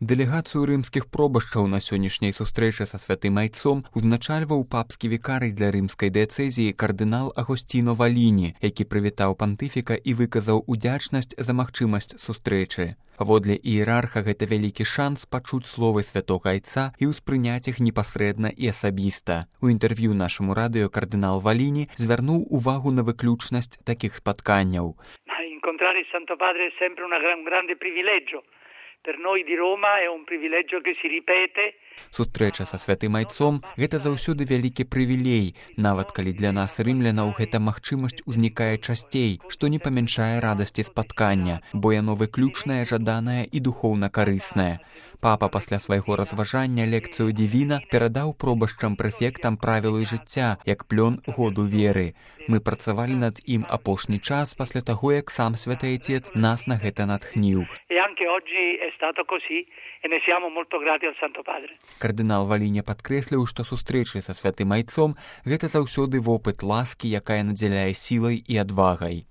Дэлегацыю рымскіх пробашчаў на сённяшняй сустрэчы са святым айцом узначальваў папскі вікарый для рымскай дыяцэзіі кардынал Агосціно Валіні, які прывітаў пантыфіка і выказаў удзячнасць за магчымасць сустрэчы. Паводле іерарха гэта вялікі шанс пачуць словы святога айца і ўспрыняць іх непасрэдна і асабіста. У інтэрв'ю нашаму радыё кардынал Валіні звярнуў увагу на выключнасць такіх спатканняў. Incontrare il Santo Padre è sempre un grande privilegio. Per noi di Roma è un privilegio che si ripete. Сустрэча са святым айцом – гэта заўсёды вялікі прывілей, нават калі для нас, рымлянаў, гэта магчымасць узнікае часцей, што не памяншае радасці спаткання, бо яно выключнае, жаданае і духоўна карыснае. Папа пасля свайго разважання лекцыю Дівіна перадаў пробашчам прэфектам правілы жыцця, як плён году веры. Мы працавалі над ім апошні час пасля таго, як сам святы айцец нас на гэта натхніў. Кардынал Валіня падкрэсліў, што сустрэчы са святым айцом – гэта заўсёды вопыт ласкі, якая надзяляе сілай і адвагай.